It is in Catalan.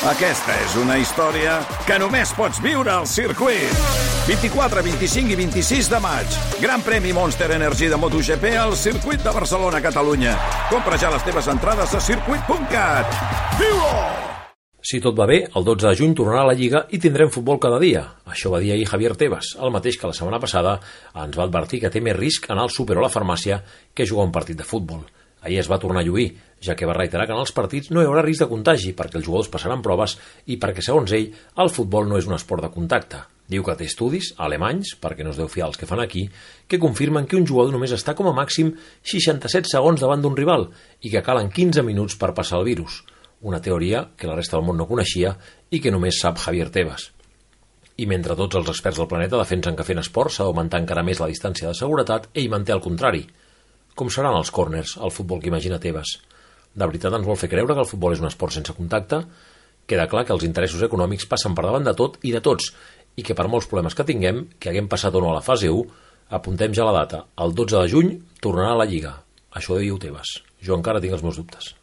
Aquesta és una història que només pots viure al circuit. 24, 25 i 26 de maig. Gran premi Monster Energy de MotoGP al circuit de Barcelona, Catalunya. Compra ja les teves entrades a circuit.cat. Viu-ho! Si tot va bé, el 12 de juny tornarà a la Lliga i tindrem futbol cada dia. Això va dir ahir Javier Tebas, el mateix que la setmana passada ens va advertir que té més risc anar al súper o a la farmàcia que jugar un partit de futbol. Ahir es va tornar a lluir, ja que va reiterar que en els partits no hi haurà risc de contagi perquè els jugadors passaran proves i perquè, segons ell, el futbol no és un esport de contacte. Diu que té estudis, alemanys, perquè no es deu fiar els que fan aquí, que confirmen que un jugador només està com a màxim 67 segons davant d'un rival i que calen 15 minuts per passar el virus. Una teoria que la resta del món no coneixia i que només sap Javier Tebas. I mentre tots els experts del planeta defensen que fent esport s'ha d'augmentar encara més la distància de seguretat, ell manté el contrari. Com seran els córners, el futbol que imagina Tebas? De veritat ens vol fer creure que el futbol és un esport sense contacte? Queda clar que els interessos econòmics passen per davant de tot i de tots, i que per molts problemes que tinguem, que haguem passat o no a la fase 1, apuntem ja la data. El 12 de juny tornarà a la Lliga. Això ho diu Tebas. Jo encara tinc els meus dubtes.